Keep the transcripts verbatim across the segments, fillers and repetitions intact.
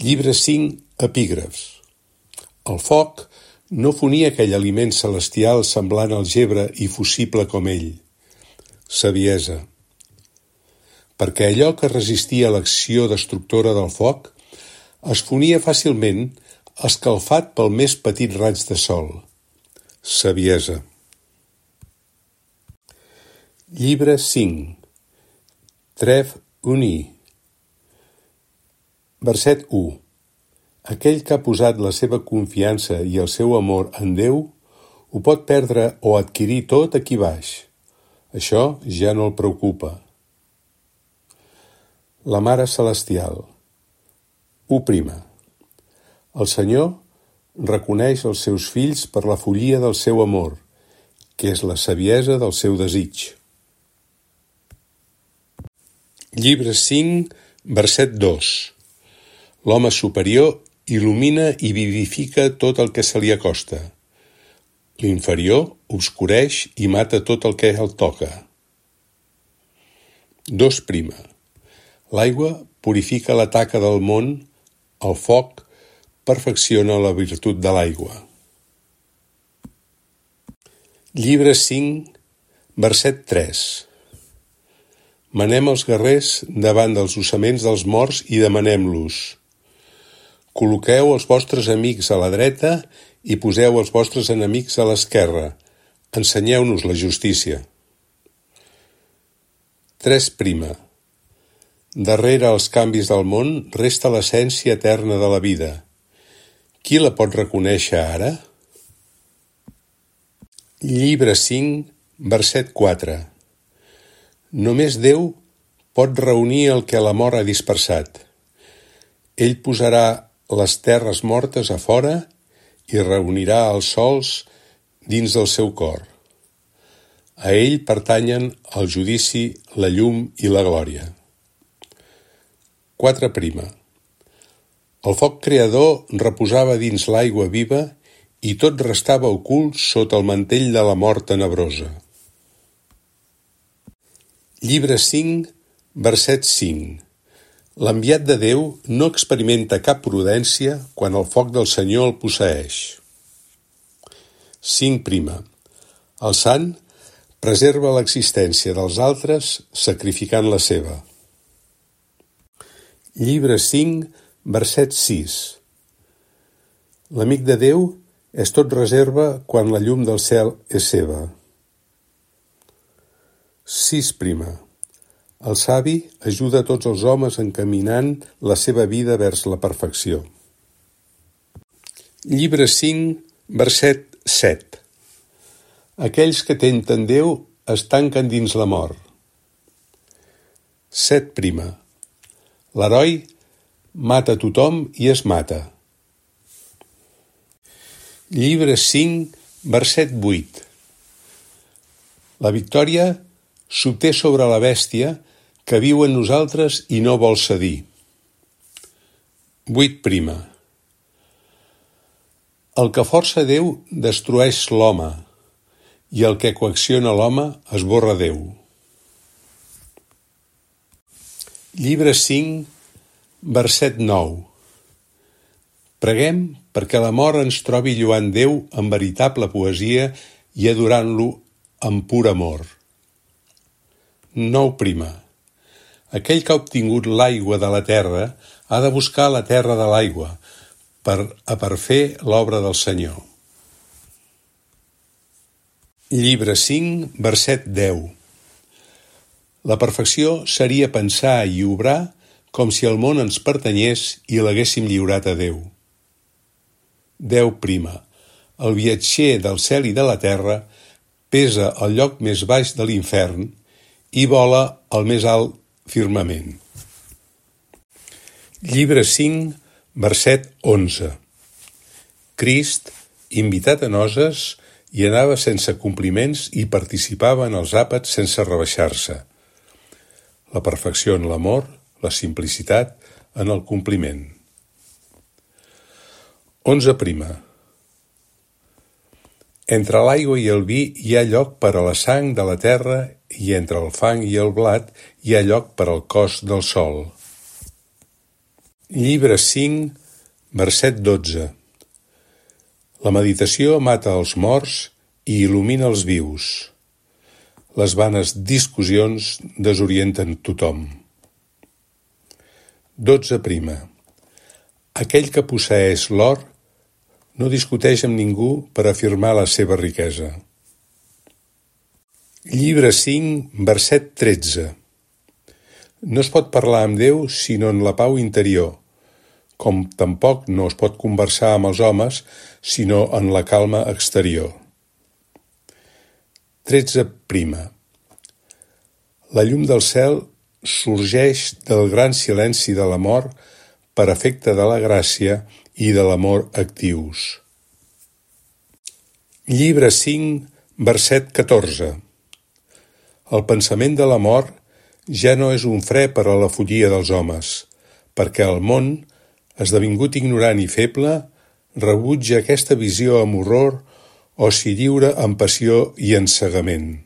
Llibre cinc, epígrafs. El foc no fonia aquell aliment celestial semblant al gebre i fusible com ell. Saviesa. Perquè allò que resistia a l'acció destructora del foc es fonia fàcilment escalfat pel més petit raig de sol. Saviesa. Llibre cinc. Trève uni. Verset u. Aquell que ha posat la seva confiança i el seu amor en Déu ho pot perdre o adquirir tot aquí baix. Això ja no el preocupa. La Mare Celestial. u prima. El Senyor reconeix els seus fills per la follia del seu amor, que és la saviesa del seu desig. Llibre cinc, verset dos. L'home superior il·lumina i vivifica tot el que se li acosta. L'inferior obscureix i mata tot el que el toca. dos prima. L'aigua purifica la taca del món, el foc perfecciona la virtut de l'aigua. Llibre cinc, verset tres. Manem els guerrers davant dels ossaments dels morts i demanem-los: col·loqueu els vostres amics a la dreta i poseu els vostres enemics a l'esquerra. Ensenyeu-nos la justícia. tres prima. Darrere els canvis del món resta l'essència eterna de la vida. Qui la pot reconèixer ara? Llibre cinc, verset quatre. Només Déu pot reunir el que la mort ha dispersat. Ell posarà les terres mortes a fora i reunirà els sols dins del seu cor. A ell pertanyen el judici, la llum i la glòria. quatre prima. El foc creador reposava dins l'aigua viva i tot restava ocult sota el mantell de la mort tenebrosa. Llibre cinc, verset cinc. L'enviat de Déu no experimenta cap prudència quan el foc del Senyor el posseeix. cinc prima. El sant preserva l'existència dels altres sacrificant la seva. Llibre cinc, verset sis. L'amic de Déu és tot reserva quan la llum del cel és seva. sis prima. El savi ajuda a tots els homes encaminant la seva vida vers la perfecció. Llibre cinc, verset set. Aquells que tenten Déu es tanquen dins la mort. set prima. L'heroi mata tothom i es mata. Llibre cinc, verset vuit. La victòria s'obté sobre la bèstia que viu en nosaltres i no vol cedir. vuit prima. El que força Déu destrueix l'home, i el que coacciona l'home esborra Déu. Llibre cinc, verset nou. Preguem perquè la mort ens trobi lloant Déu amb veritable poesia i adorant-lo amb pur amor. nou prima. Aquell que ha obtingut l'aigua de la terra ha de buscar la terra de l'aigua per a per fer l'obra del Senyor. Llibre cinc, verset deu. La perfecció seria pensar i obrar com si el món ens pertanyés i l'haguéssim lliurat a Déu. deu prima. El viatger del cel i de la terra pesa al lloc més baix de l'infern i vola al més alt firmament. Llibre cinc, verset onze. Crist, invitat a noces, hi anava sense compliments i participava en els àpats sense rebaixar-se. La perfecció en l'amor, la simplicitat en el compliment. onze prima. Entre l'aigua i el vi hi ha lloc per a la sang de la terra i entre el fang i el blat hi ha lloc per al cos del sol. Llibre cinc, verset dotze. La meditació mata els morts i il·lumina els vius. Les vanes discussions desorienten tothom. Dotze prima. Aquell que posseeix l'or no discuteix amb ningú per afirmar la seva riquesa. Llibre cinc, verset tretze. No es pot parlar amb Déu sinó en la pau interior, com tampoc no es pot conversar amb els homes sinó en la calma exterior. Tretze prima. La llum del cel sorgeix del gran silenci de la mort per efecte de la gràcia i de l'amor actius. Llibre cinc, verset catorze. El pensament de la mort ja no és un fre per a la follia dels homes, perquè el món, esdevingut ignorant i feble, rebutja aquesta visió amb horror o s'hi lliura amb passió i encegament.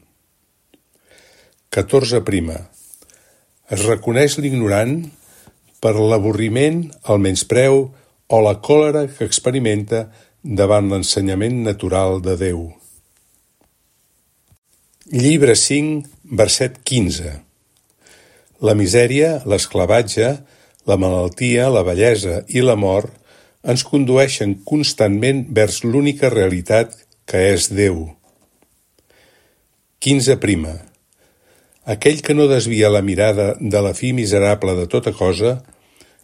Catorze prima. Es reconeix l'ignorant per l'avorriment, el menyspreu o la còlera que experimenta davant l'ensenyament natural de Déu. Llibre cinc, verset quinze. La misèria, l'esclavatge, la malaltia, la vellesa i la mort ens condueixen constantment vers l'única realitat que és Déu. Quinze prima. Aquell que no desvia la mirada de la fi miserable de tota cosa,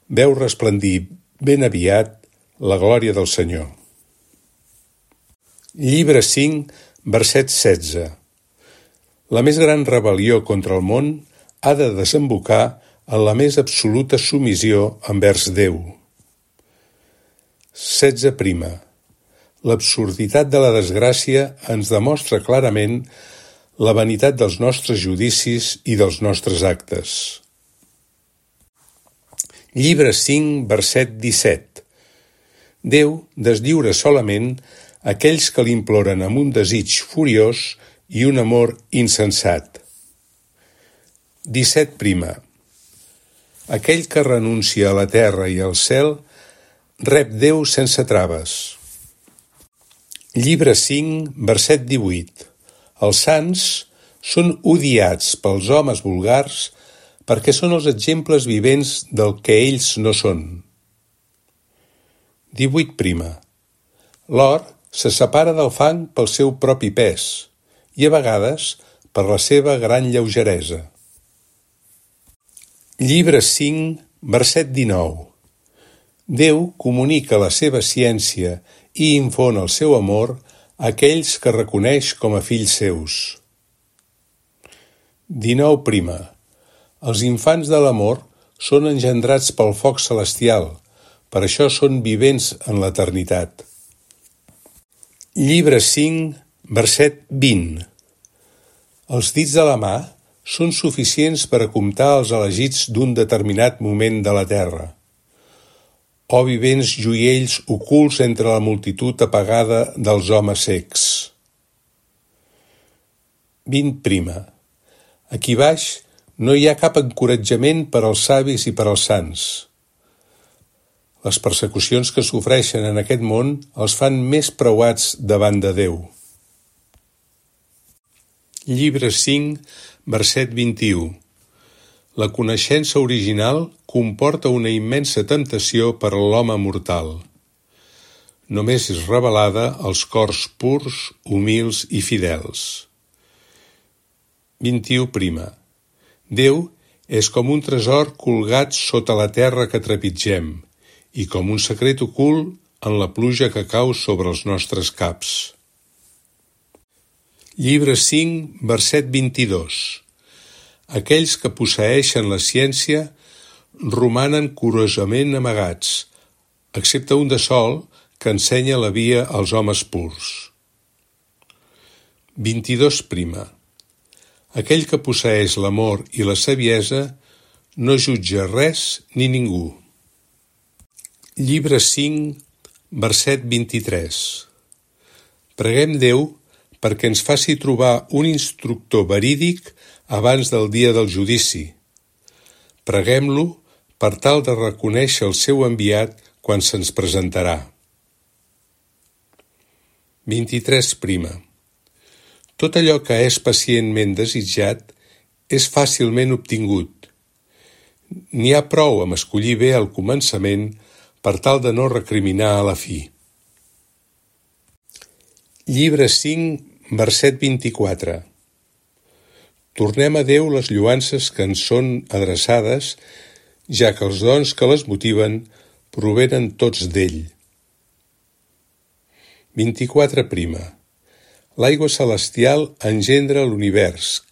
veu resplendir ben aviat la glòria del Senyor. Llibre cinc, verset setze. La més gran rebel·lió contra el món ha de desembocar en la més absoluta submissió envers Déu. Setze prima. L'absurditat de la desgràcia ens demostra clarament la vanitat dels nostres judicis i dels nostres actes. Llibre cinc, verset disset. Déu deslliura solament aquells que l'imploren amb un desig furiós i un amor insensat. Disset prima. Aquell que renuncia a la terra i al cel rep Déu sense traves. Llibre cinc, verset divuit. Els sants són odiats pels homes vulgars perquè són els exemples vivents del que ells no són. Divuit prima. L'or se separa del fang pel seu propi pes i a vegades per la seva gran lleugeresa. Llibre cinc, verset dinou. Déu comunica la seva ciència i infon el seu amor a aquells que reconeix com a fills seus. Dinou prima. Els infants de l'amor són engendrats pel foc celestial, per això són vivents en l'eternitat. Llibre cinc, verset vint. Els dits de la mà són suficients per a comptar els elegits d'un determinat moment de la terra. O vivents joiells ocults entre la multitud apagada dels homes cecs. Vint prima. Aquí baix no hi ha cap encoratjament per als savis i per als sants. Les persecucions que sofreixen en aquest món els fan més preuats davant de Déu. Llibre cinc, verset vint-i-u. La coneixença original comporta una immensa temptació per a l'home mortal. Només és revelada als cors purs, humils i fidels. vint-i-u prima. Déu és com un tresor colgat sota la terra que trepitgem i com un secret ocult en la pluja que cau sobre els nostres caps. Llibre cinc, verset vint-i-dos. Aquells que posseeixen la ciència romanen curosament amagats, excepte un de sol que ensenya la via als homes purs. vint-i-dos prima. Aquell que posseeix l'amor i la saviesa no jutja res ni ningú. Llibre cinc, verset vint-i-tres. Preguem Déu perquè ens faci trobar un instructor verídic abans del dia del judici. Preguem-lo per tal de reconèixer el seu enviat quan se'ns presentarà. vint-i-tres. Tot allò que és pacientment desitjat és fàcilment obtingut. N'hi ha prou amb escollir bé al començament per tal de no recriminar a la fi. Llibre cinc, verset vint-i-quatre. Tornem a Déu les lloances que ens són adreçades, ja que els dons que les motiven provenen tots d'ell. vint-i-quatre. L'aigua celestial engendra l'univers,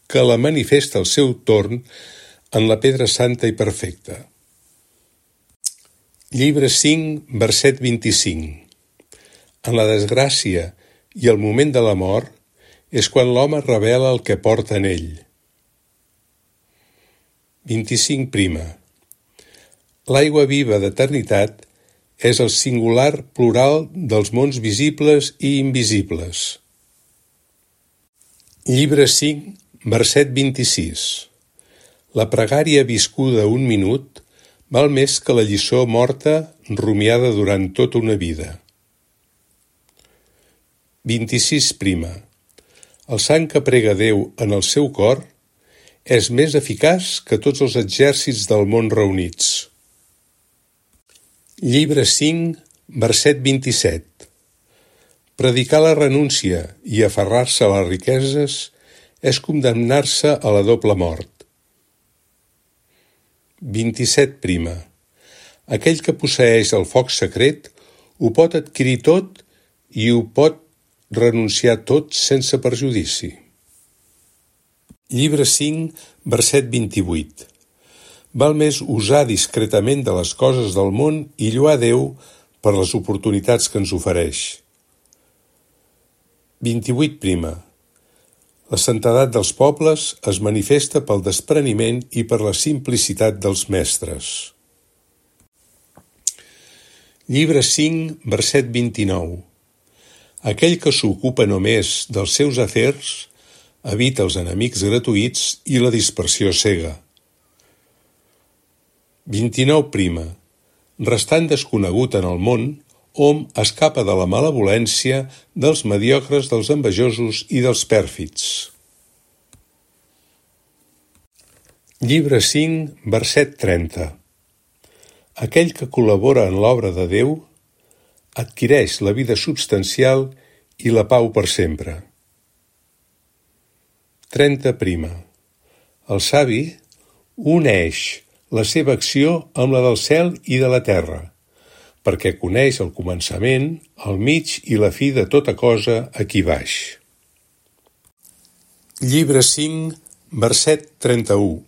que la manifesta al seu torn en la pedra santa i perfecta. Llibre cinc, verset vint-i-cinc. En la desgràcia i el moment de la mort és quan l'home revela el que porta en ell. vint-i-cinc. L'aigua viva d'eternitat és el singular plural dels mons visibles i invisibles. Llibre cinc, verset vint-i-sis. La pregària viscuda un minut val més que la lliçó morta rumiada durant tota una vida. vint-i-sis. El sant que prega Déu en el seu cor és més eficaç que tots els exèrcits del món reunits. Llibre cinc, verset vint-i-set. Predicar la renúncia i aferrar-se a les riqueses és condemnar-se a la doble mort. vint-i-set. Aquell que posseeix el foc secret ho pot adquirir tot i ho pot renunciar tot sense perjudici. Llibre cinc, verset vint-i-vuit. Val més usar discretament de les coses del món i lloar Déu per les oportunitats que ens ofereix. vint-i-vuit. La santedat dels pobles es manifesta pel despreniment i per la simplicitat dels mestres. Llibre cinc, verset vint-i-nou. Aquell que s'ocupa només dels seus afers evita els enemics gratuïts i la dispersió cega. vint-i-nou. Restant desconegut en el món, hom escapa de la malevolència dels mediocres, dels envejosos i dels pèrfids. Llibre cinc, verset trenta. Aquell que col·labora en l'obra de Déu adquireix la vida substancial i la pau per sempre. trenta. El savi uneix la seva acció amb la del cel i de la terra, perquè coneix el començament, el mig i la fi de tota cosa aquí baix. Llibre cinc, verset trenta-u.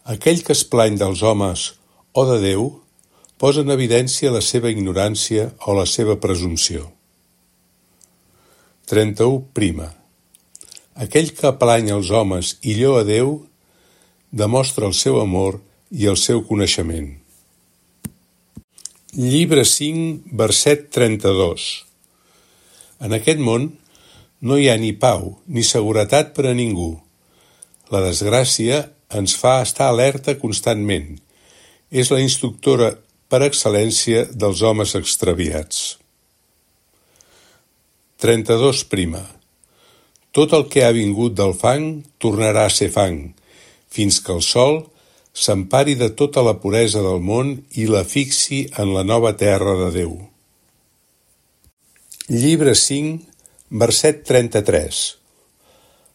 Aquell que es plany dels homes o de Déu posa en evidència la seva ignorància o la seva presumpció. trenta-u. Aquell que plany els homes i lloa Déu demostra el seu amor i el seu coneixement. Llibre cinc, verset trenta-dos. En aquest món no hi ha ni pau ni seguretat per a ningú. La desgràcia ens fa estar alerta constantment. És la instructora per excel·lència dels homes extraviats. trenta-dos. Tot el que ha vingut del fang tornarà a ser fang, fins que el sol s'empari de tota la puresa del món i la fixi en la nova terra de Déu. Llibre cinc, verset trenta-tres.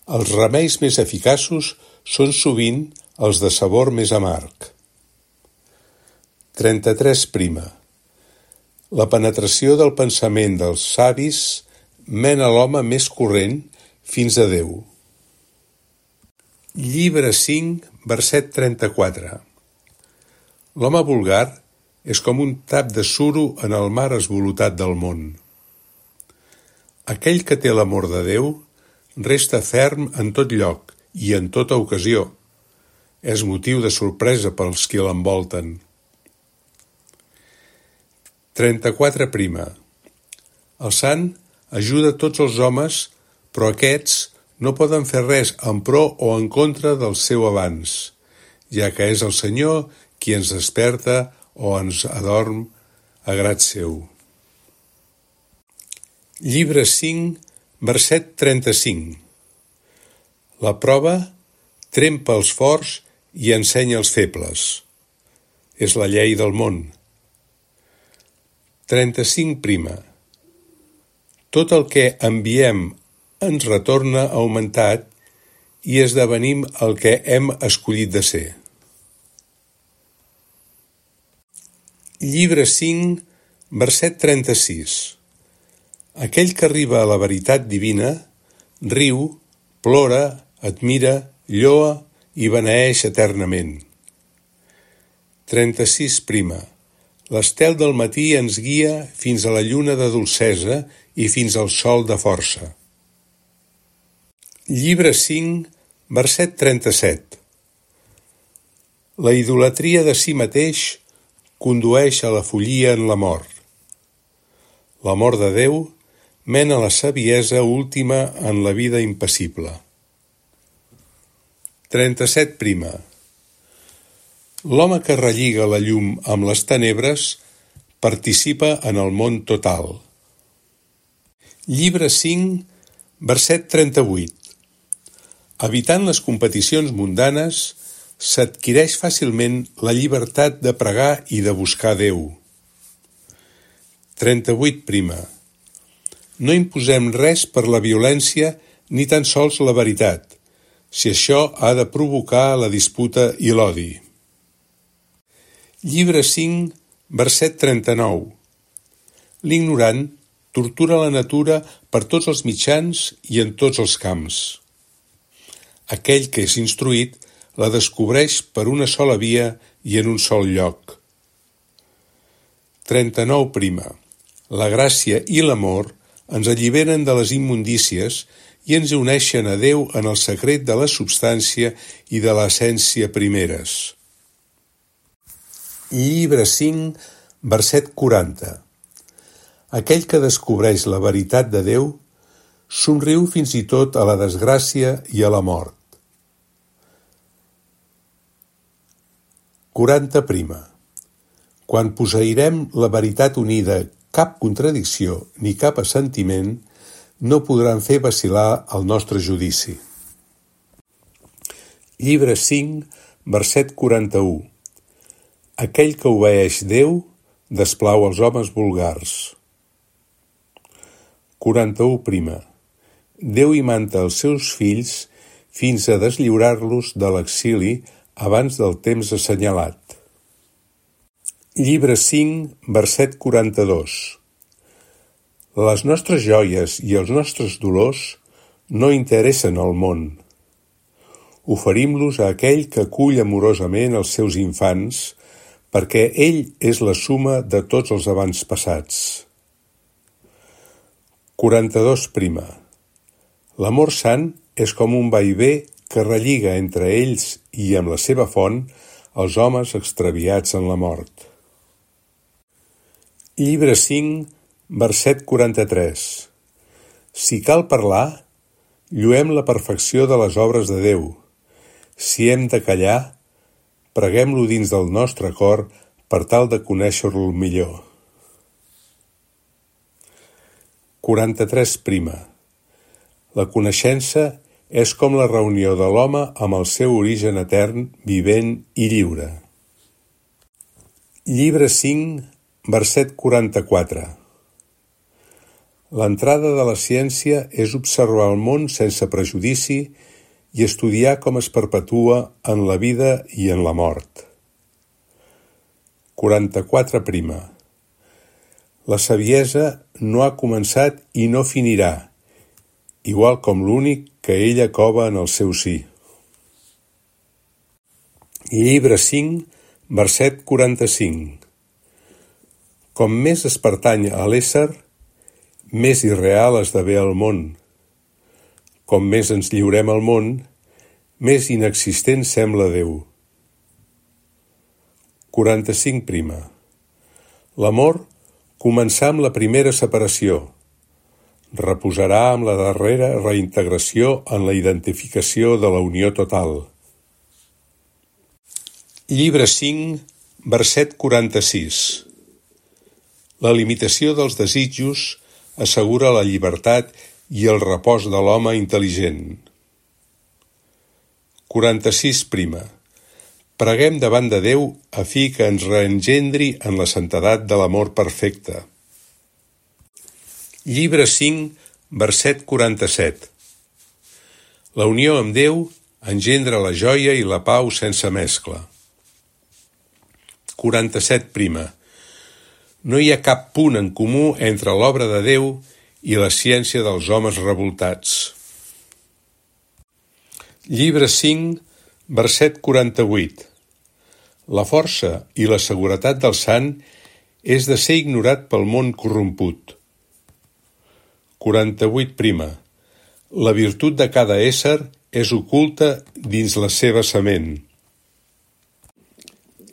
Els remeis més eficaços són sovint els de sabor més amarg. trenta-tres. La penetració del pensament dels savis mena l'home més corrent fins a Déu. Llibre cinc, verset trenta-quatre. L'home vulgar és com un tap de suro en el mar esvolutat del món. Aquell que té l'amor de Déu resta ferm en tot lloc i en tota ocasió. És motiu de sorpresa pels qui l'envolten. trenta-quatre. El sant ajuda tots els homes, però aquests no poden fer res en pro o en contra del seu avanç, ja que és el Senyor qui ens desperta o ens adorm a grat seu. Llibre cinc, verset trenta-cinc. La prova trempa els forts i ensenya els febles. És la llei del món. trenta-cinc prima. Tot el que enviem ens retorna augmentat i esdevenim el que hem escollit de ser. Llibre cinc, verset trenta-sis. Aquell que arriba a la veritat divina riu, plora, admira, lloa i beneeix eternament. trenta-sis prima. L'estel del matí ens guia fins a la lluna de dolcesa i fins al sol de força. Llibre cinc, verset trenta-set. La idolatria de si mateix condueix a la follia en la mort. L'amor de Déu mena la saviesa última en la vida impassible. trenta-set prima. L'home que relliga la llum amb les tenebres participa en el món total. Llibre cinc, verset trenta-vuit. Evitant les competicions mundanes, s'adquireix fàcilment la llibertat de pregar i de buscar Déu. trenta-vuit prima. No imposem res per la violència ni tan sols la veritat, si això ha de provocar la disputa i l'odi. Llibre cinc, verset trenta-nou. L'ignorant tortura la natura per tots els mitjans i en tots els camps. Aquell que és instruït la descobreix per una sola via i en un sol lloc. trenta-nou prima. La gràcia i l'amor ens alliberen de les immundícies i ens uneixen a Déu en el secret de la substància i de l'essència primeres. Llibre cinc, verset quaranta. Aquell que descobreix la veritat de Déu somriu fins i tot a la desgràcia i a la mort. quaranta prima. Quan posseirem la veritat unida, cap contradicció ni cap assentiment no podran fer vacil·lar el nostre judici. Llibre cinc, verset quaranta-u. Aquell que obeeix Déu desplau els homes vulgars. quaranta-u prima. Déu imanta els seus fills fins a deslliurar-los de l'exili abans del temps assenyalat. Llibre cinc, verset quaranta-dos. Les nostres joies i els nostres dolors no interessen al món. Oferim-los a aquell que acull amorosament els seus infants, perquè ell és la suma de tots els avantpassats. quaranta-dos prima. L'amor sant és com un vaivé que relliga entre ells i amb la seva font els homes extraviats en la mort. Llibre cinc, verset quaranta-tres. Si cal parlar, lluem la perfecció de les obres de Déu. Si hem de callar, preguem-lo dins del nostre cor per tal de conèixer-lo millor. quaranta-tres prima. La coneixença és com la reunió de l'home amb el seu origen etern, vivent i lliure. Llibre cinc, verset quaranta-quatre. L'entrada de la ciència és observar el món sense prejudici i estudiar com es perpetua en la vida i en la mort. quaranta-quatre prima. La saviesa no ha començat i no finirà, igual com l'únic que ella cova en el seu si. Llibre cinc, verset quaranta-cinc. Com més es pertany a l'ésser, més irreal esdevé el món. Com més ens lliurem al món, més inexistent sembla Déu. quaranta-cinc prima. L'amor començà amb la primera separació. Reposarà amb la darrera reintegració en la identificació de la unió total. Llibre cinc, verset quaranta-sis. La limitació dels desitjos assegura la llibertat i el repòs de l'home intel·ligent. quaranta-sis prima. Preguem davant de Déu a fi que ens reengendri en la santedat de l'amor perfecte. Llibre cinc, verset quaranta-set. La unió amb Déu engendra la joia i la pau sense mescla. quaranta-set prima. No hi ha cap punt en comú entre l'obra de Déu i la ciència dels homes revoltats. Llibre cinc, verset quaranta-vuit. La força i la seguretat del sant és de ser ignorat pel món corromput. quaranta-vuit prima. La virtut de cada ésser és oculta dins la seva sement.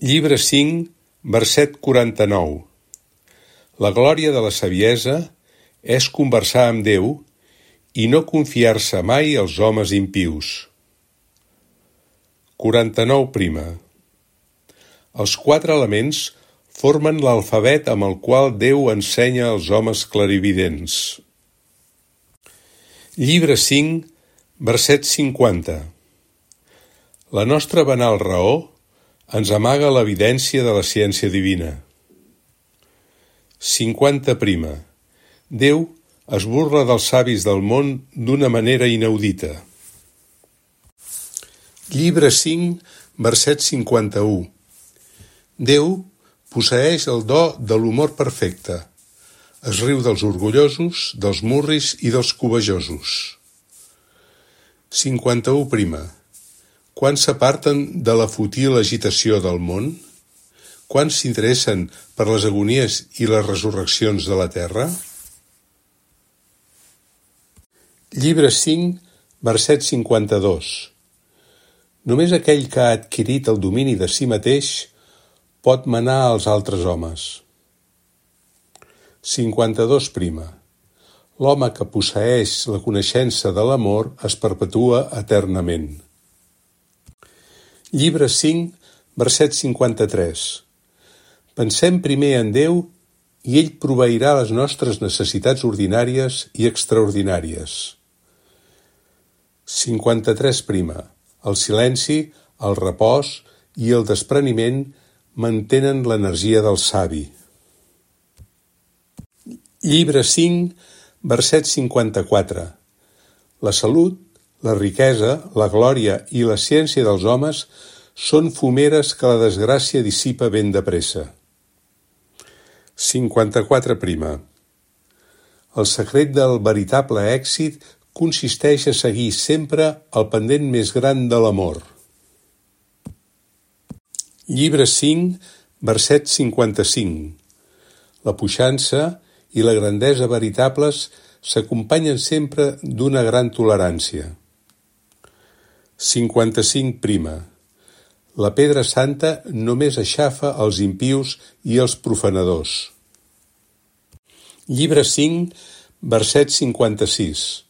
Llibre cinc, verset quaranta-nou. La glòria de la saviesa és conversar amb Déu i no confiar-se mai als homes impius. quaranta-nou prima. Els quatre elements formen l'alfabet amb el qual Déu ensenya als homes clarividents. Llibre cinc, verset cinquanta. La nostra banal raó ens amaga l'evidència de la ciència divina. cinquanta prima. Déu es burla dels savis del món d'una manera inaudita. Llibre cinc, verset cinquanta-u. Déu posseeix el do de l'humor perfecte. Es riu dels orgullosos, dels murris i dels cobejosos. cinquanta-u prima. Quants s'aparten de la fútil agitació del món? Quants s'interessen per les agonies i les resurreccions de la terra? Llibre cinc, verset cinquanta-dos. Només aquell que ha adquirit el domini de si mateix pot manar als altres homes. cinquanta-dos prima. L'home que posseeix la coneixença de l'amor es perpetua eternament. Llibre cinc, verset cinquanta-tres. Pensem primer en Déu i ell proveirà les nostres necessitats ordinàries i extraordinàries. cinquanta-tres prima. El silenci, el repòs i el despreniment mantenen l'energia del savi. Llibre cinc, verset cinquanta-quatre. La salut, la riquesa, la glòria i la ciència dels homes són fumeres que la desgràcia dissipa ben de pressa. cinquanta-quatre prima. El secret del veritable èxit consisteix a seguir sempre el pendent més gran de l'amor. Llibre cinc, verset cinquanta-cinc. La puixança i la grandesa veritables s'acompanyen sempre d'una gran tolerància. cinquanta-cinc prima. La pedra santa només aixafa els impius i els profanadors. Llibre cinc, verset cinquanta-sis.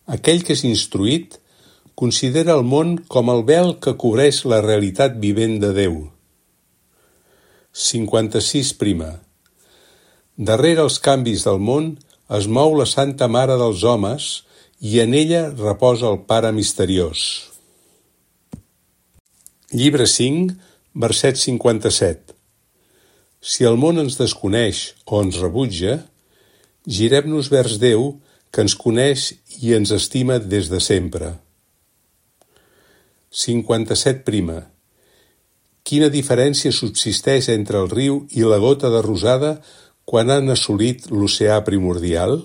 Aquell que és instruït considera el món com el vel que cobreix la realitat vivent de Déu. cinquanta-sis prima. Darrere els canvis del món es mou la Santa Mare dels homes i en ella reposa el Pare misteriós. Llibre cinc, verset cinquanta-set. Si el món ens desconeix o ens rebutja, girem-nos vers Déu que ens coneix i ens estima des de sempre. cinquanta-set prima. Quina diferència subsisteix entre el riu i la gota de rosada quan han assolit l'oceà primordial?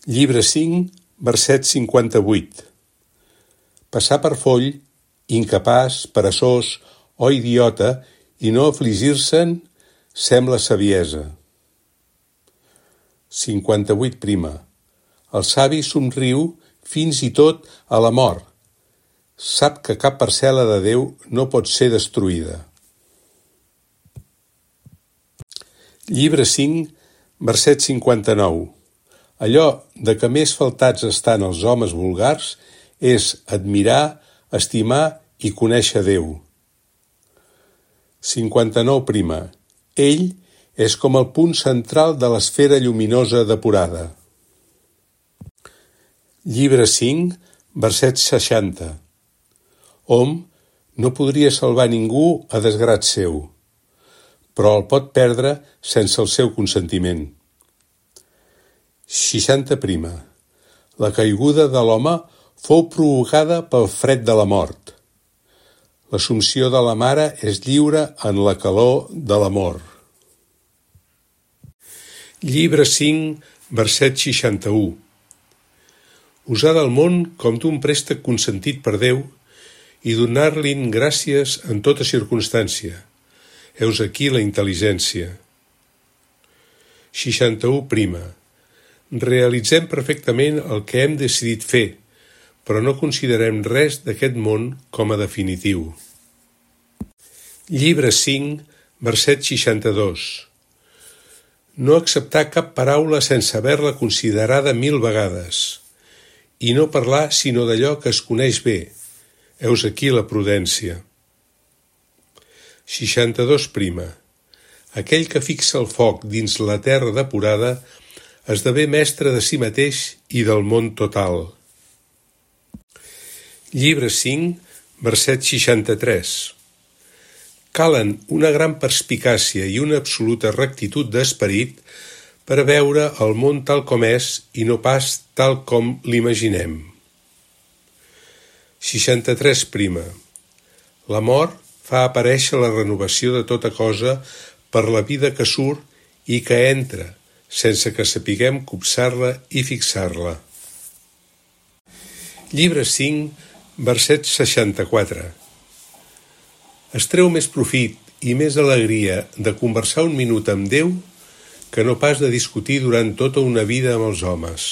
Llibre cinc, verset cinquanta-vuit. Passar per foll, incapaç, peresós o idiota i no afligir-se'n sembla saviesa. cinquanta-vuit prima. El savi somriu fins i tot a la mort. Sap que cap parcel·la de Déu no pot ser destruïda. Llibre cinc, verset cinquanta-nou. Allò de que més faltats estan els homes vulgars és admirar, estimar i conèixer Déu. cinquanta-nou prima. Ell és com el punt central de l'esfera lluminosa depurada. Llibre cinc, verset seixanta. Hom no podria salvar ningú a desgrat seu, però el pot perdre sense el seu consentiment. seixanta prima. La caiguda de l'home fou provocada pel fred de la mort. L'assumpció de la mare és lliure en la calor de l'amor. Llibre cinc, verset seixanta-u. Usar del món com d'un préstec consentit per Déu i donar-li'n gràcies en tota circumstància. Heus aquí la intel·ligència. seixanta-u prima. Realitzem perfectament el que hem decidit fer, però no considerem res d'aquest món com a definitiu. Llibre cinc, verset seixanta-dos. No acceptar cap paraula sense haver-la considerada mil vegades, i no parlar sinó d'allò que es coneix bé. Heus aquí la prudència. seixanta-dos prima. Aquell que fixa el foc dins la terra depurada esdevé mestre de si mateix i del món total. Llibre cinc, verset seixanta-tres. Calen una gran perspicàcia i una absoluta rectitud d'esperit per a veure el món tal com és i no pas tal com l'imaginem. seixanta-tres prima. La mort fa aparèixer la renovació de tota cosa per la vida que surt i que entra, sense que sapiguem copsar-la i fixar-la. Llibre cinc, verset seixanta-quatre. Es treu més profit i més alegria de conversar un minut amb Déu que no pas de discutir durant tota una vida amb els homes.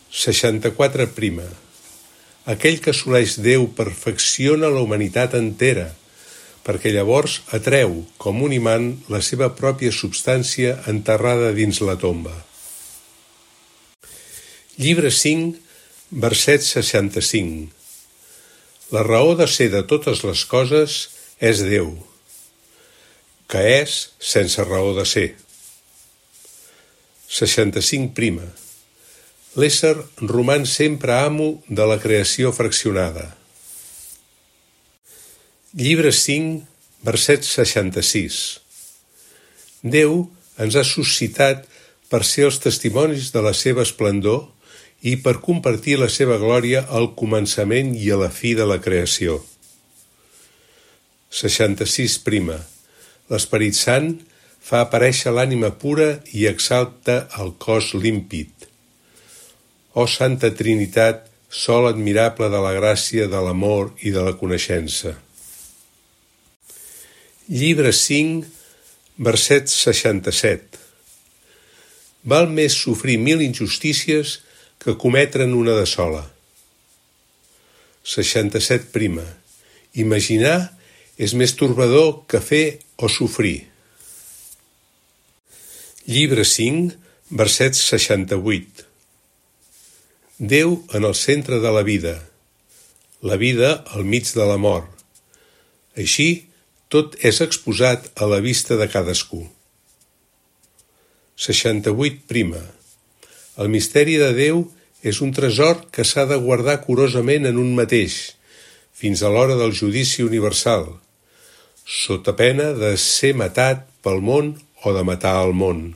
seixanta-quatre prima. Aquell que assoleix Déu perfecciona la humanitat entera, perquè llavors atreu, com un imant, la seva pròpia substància enterrada dins la tomba. Llibre cinc, verset seixanta-cinc. La raó de ser de totes les coses és Déu, que és sense raó de ser. seixanta-cinc prima. L'ésser roman sempre amo de la creació fraccionada. Llibre cinc, verset seixanta-sis. Déu ens ha suscitat per ser els testimonis de la seva esplendor i per compartir la seva glòria al començament i a la fi de la creació. seixanta-sis prima. L'Esperit Sant fa aparèixer l'ànima pura i exalta el cos límpid. Ó Santa Trinitat, sol admirable de la gràcia, de l'amor i de la coneixença. Llibre cinc, verset seixanta-set. Val més sofrir mil injustícies que cometre'n una de sola. seixanta-set prima. Imaginar és més torbador que fer o sofrir. Llibre cinc, verset seixanta-vuit. Déu en el centre de la vida, la vida al mig de la mort. Així, tot és exposat a la vista de cadascú. seixanta-vuit prima. El misteri de Déu és un tresor que s'ha de guardar curosament en un mateix, fins a l'hora del judici universal, sota pena de ser matat pel món o de matar el món.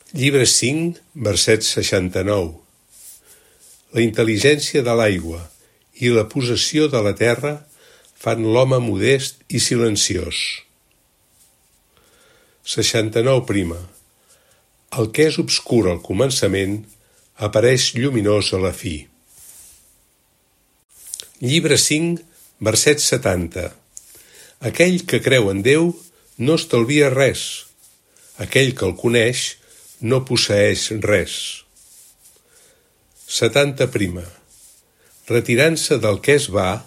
Llibre cinc, verset seixanta-nou. La intel·ligència de l'aigua i la possessió de la terra fan l'home modest i silenciós. seixanta-nou prima. El que és obscur al començament apareix lluminós a la fi. Llibre cinc, verset setanta. Aquell que creu en Déu no estalvia res. Aquell que el coneix no posseeix res. setanta prima. Retirant-se del que es va,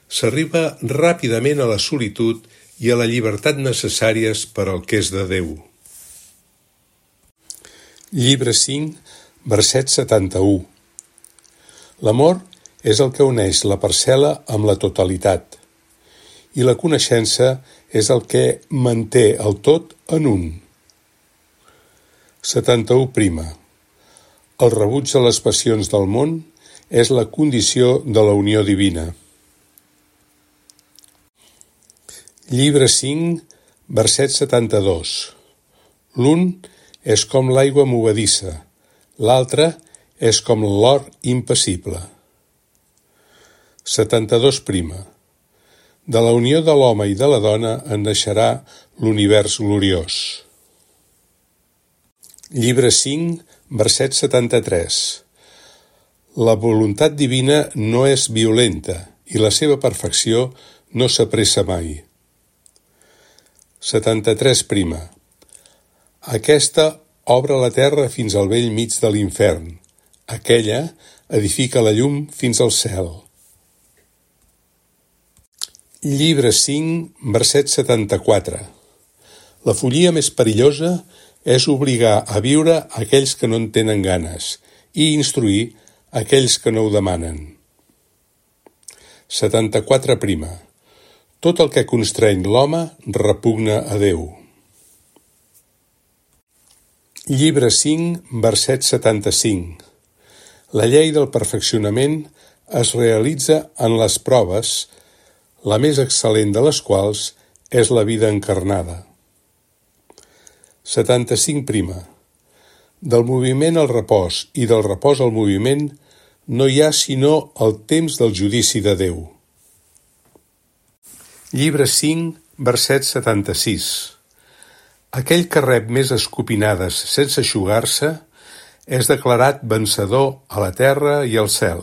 s'arriba ràpidament a la solitud i a la llibertat necessàries per al que és de Déu. Llibre cinc, verset setanta-u. L'amor és el que uneix la parcel·la amb la totalitat, i la coneixença és el que manté el tot en un. setanta-u. El rebuig de les passions del món és la condició de la unió divina. Llibre cinc, verset setanta-dos. L'un és com l'aigua movedissa, l'altre és com l'or impassible. setanta-dos. De la unió de l'home i de la dona en naixerà l'univers gloriós. Llibre cinc, verset setanta-tres. La voluntat divina no és violenta i la seva perfecció no s'apressa mai. setanta-tres. Aquesta obre la terra fins al bell mig de l'infern. Aquella edifica la llum fins al cel. Llibre cinc, verset setanta-quatre. La follia més perillosa és obligar a viure aquells que no en tenen ganes i instruir aquells que no ho demanen. setanta-quatre. Tot el que constreny l'home repugna a Déu. Llibre cinc, verset setanta-cinc. La llei del perfeccionament es realitza en les proves, la més excel·lent de les quals és la vida encarnada. setanta-cinc. Del moviment al repòs i del repòs al moviment no hi ha sinó el temps del judici de Déu. Llibre cinc, verset setanta-sis. Aquell que rep més escopinades sense eixugar-se és declarat vencedor a la terra i al cel.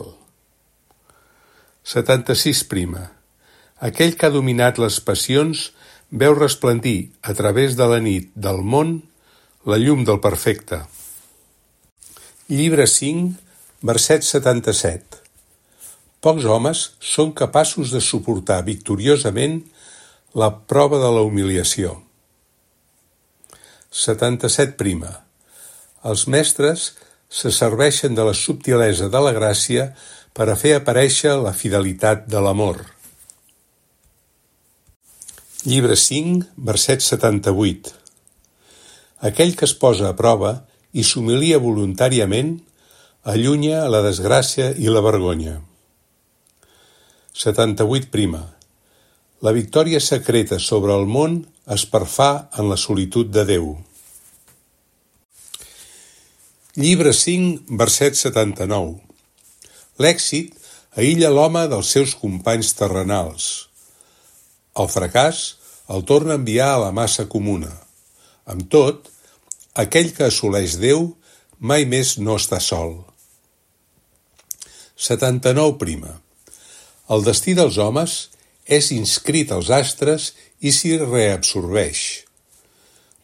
setanta-sis. Aquell que ha dominat les passions veu resplendir a través de la nit del món la llum del perfecte. Llibre cinc, verset setanta-set. Pocs homes són capaços de suportar victoriosament la prova de la humiliació. setanta-set. Els mestres se serveixen de la subtilesa de la gràcia per a fer aparèixer la fidelitat de l'amor. Llibre cinc, verset setanta-vuit. Aquell que es posa a prova i s'humilia voluntàriament allunya la desgràcia i la vergonya. setanta-vuit. La victòria secreta sobre el món es perfà en la solitud de Déu. Llibre cinc, verset setanta-nou. L'èxit aïlla l'home dels seus companys terrenals. El fracàs el torna a enviar a la massa comuna. Amb tot, aquell que assoleix Déu mai més no està sol. setanta-nou. El destí dels homes és inscrit als astres i s'hi reabsorbeix.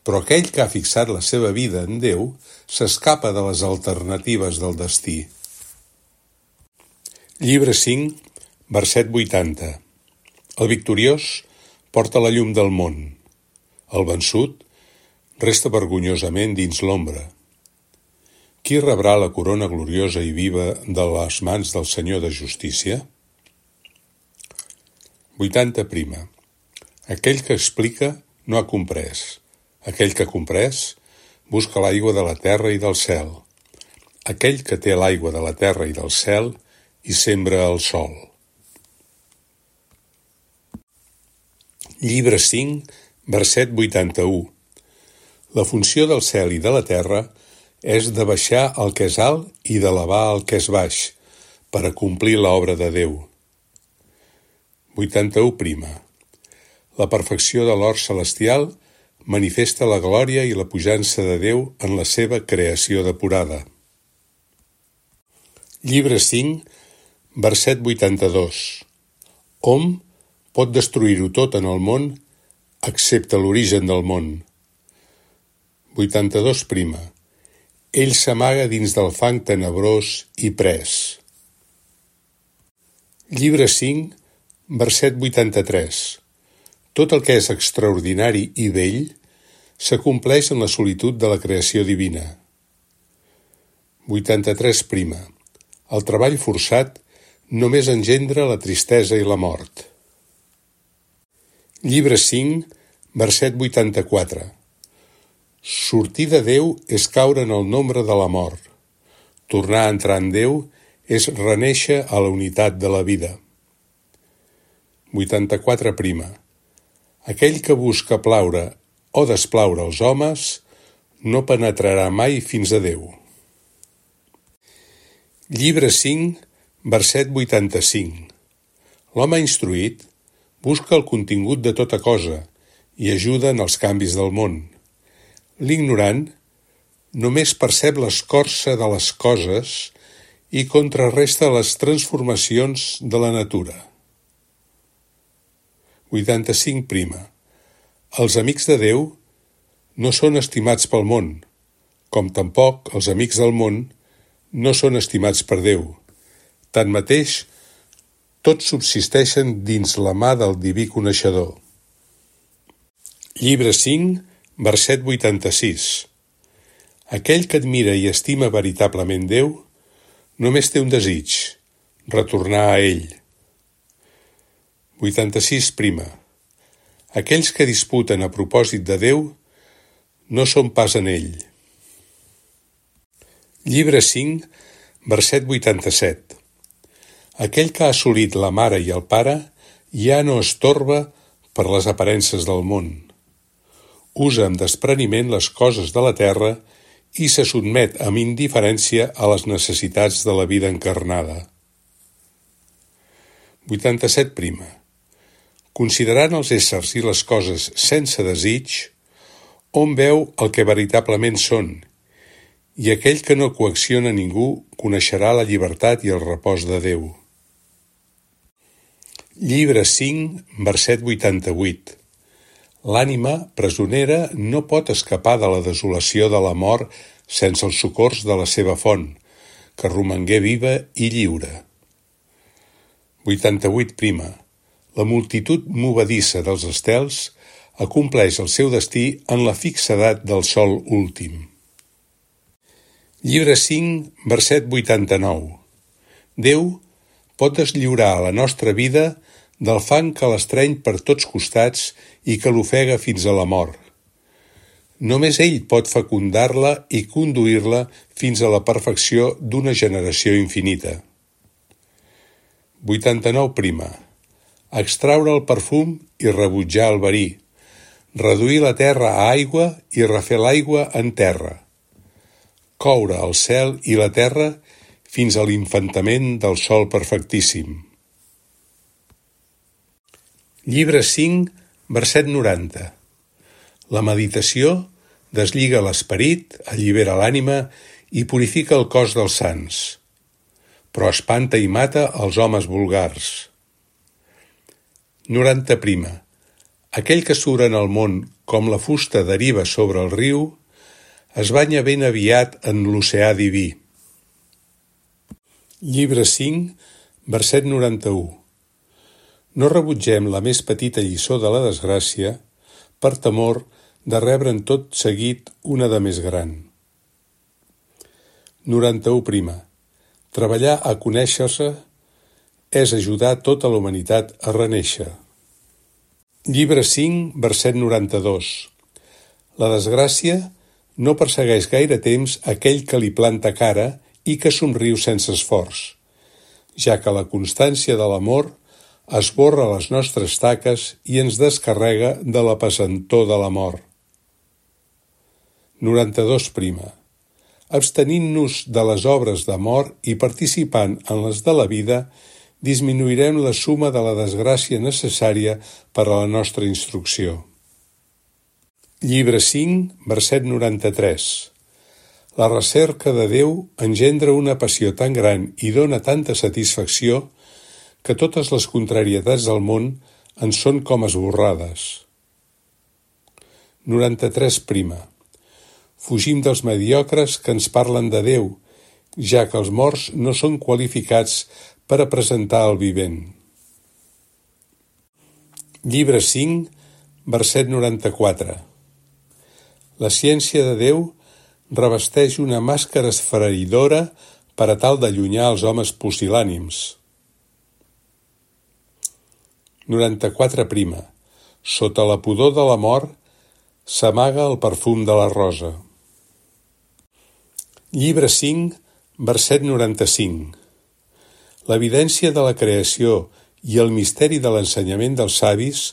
Però aquell que ha fixat la seva vida en Déu s'escapa de les alternatives del destí. Llibre cinc, verset vuitanta. El victoriós porta la llum del món. El vençut resta vergonyosament dins l'ombra. Qui rebrà la corona gloriosa i viva de les mans del Senyor de Justícia? vuitanta. Aquell que explica no ha comprès. Aquell que ha comprès busca l'aigua de la terra i del cel. Aquell que té l'aigua de la terra i del cel i sembra el sol. Llibre cinc, verset vuitanta-u. La funció del cel i de la terra és de baixar el que és alt i d'elevar el que és baix, per a complir l'obra de Déu. vuitanta-u. La perfecció de l'or celestial manifesta la glòria i la pujança de Déu en la seva creació depurada. Llibre cinc, verset vuitanta-dos. Hom pot destruir-ho tot en el món, excepte l'origen del món. vuitanta-dos. Ell s'amaga dins del fang tenebrós i pres. Llibre cinc, verset vuitanta-tres. Tot el que és extraordinari i bell s'acompleix en la solitud de la creació divina. vuitanta-tres. El treball forçat només engendra la tristesa i la mort. Llibre cinc, verset vuitanta-quatre. Sortir de Déu és caure en el nombre de la mort. Tornar a entrar en Déu és renéixer a la unitat de la vida. vuitanta-quatre prima. Aquell que busca plaure o desplaure els homes no penetrarà mai fins a Déu. Llibre cinc, verset vuitanta-cinc. L'home instruït busca el contingut de tota cosa i ajuda en els canvis del món. L'ignorant només percep l'escorça de les coses i contrarresta les transformacions de la natura. vuitanta-cinc prima. Els amics de Déu no són estimats pel món, com tampoc els amics del món no són estimats per Déu. Tanmateix, tots subsisteixen dins la mà del diví coneixedor. Llibre cinc, verset vuitanta-sis. Aquell que admira i estima veritablement Déu només té un desig, retornar a ell. vuitanta-sis prima. Aquells que disputen a propòsit de Déu no són pas en ell. Llibre cinc, verset vuitanta-set. Aquell que ha assolit la mare i el pare ja no es torba per les aparences del món. Usa amb despreniment les coses de la terra i se sotmet amb indiferència a les necessitats de la vida encarnada. vuitanta-set prima. Considerant els éssers i les coses sense desig, hom veu el que veritablement són, i aquell que no coacciona ningú coneixerà la llibertat i el repòs de Déu. Llibre cinc, verset vuitanta-vuit. L'ànima presonera no pot escapar de la desolació de la mort sense els socors de la seva font, que romangué viva i lliure. vuitanta-vuit prima. La multitud movedissa dels estels acompleix el seu destí en la fixedat del sol últim. Llibre cinc, verset vuitanta-nou. Déu pot deslliurar a la nostra vida del fang que l'estreny per tots costats i que l'ofega fins a la mort. Només ell pot fecundar-la i conduir-la fins a la perfecció d'una generació infinita. vuitanta-nou prima. Extraure el perfum i rebutjar el verí, reduir la terra a aigua i refer l'aigua en terra, coure el cel i la terra fins a l'infantament del sol perfectíssim. Llibre cinc, verset noranta. La meditació deslliga l'esperit, allibera l'ànima i purifica el cos dels sants, però espanta i mata els homes vulgars. noranta prima. Aquell que surt en el món com la fusta deriva sobre el riu, es banya ben aviat en l'oceà diví. Llibre cinc, verset noranta-u. No rebutgem la més petita lliçó de la desgràcia per temor de rebre'n tot seguit una de més gran. noranta-u prima. Treballar a conèixer-se és ajudar tota la humanitat a renéixer. Llibre cinc, verset noranta-dos. La desgràcia no persegueix gaire temps aquell que li planta cara i que somriu sense esforç, ja que la constància de l'amor esborra les nostres taques i ens descarrega de la pesantor de la mort. noranta-dos prima. Abstenint-nos de les obres d'amor i participant en les de la vida, disminuirem la suma de la desgràcia necessària per a la nostra instrucció. Llibre cinc, verset noranta-tres. La recerca de Déu engendra una passió tan gran i dóna tanta satisfacció que totes les contrarietats del món en són com esborrades. noranta-tres prima. Fugim dels mediocres que ens parlen de Déu, ja que els morts no són qualificats per a presentar el vivent. Llibre cinc, verset noranta-quatre. La ciència de Déu revesteix una màscara esfereïdora per a tal d'allunyar els homes pusil·lànims. noranta-quatre prima. Sota la pudor de la mort s'amaga el perfum de la rosa. Llibre cinc, verset noranta-cinc. L'evidència de la creació i el misteri de l'ensenyament dels savis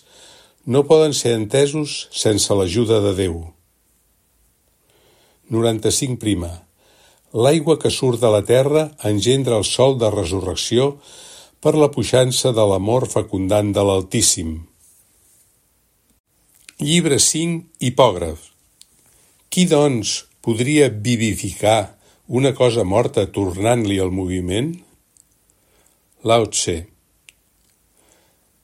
no poden ser entesos sense l'ajuda de Déu. noranta-cinc prima. L'aigua que surt de la terra engendra el sol de resurrecció per la puixança de l'amor fecundant de l'Altíssim. Llibre cinc, hipògraf. Qui, doncs, podria vivificar una cosa morta tornant-li el moviment? Lao Tse.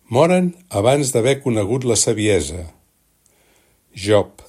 Moren abans d'haver conegut la saviesa. Job.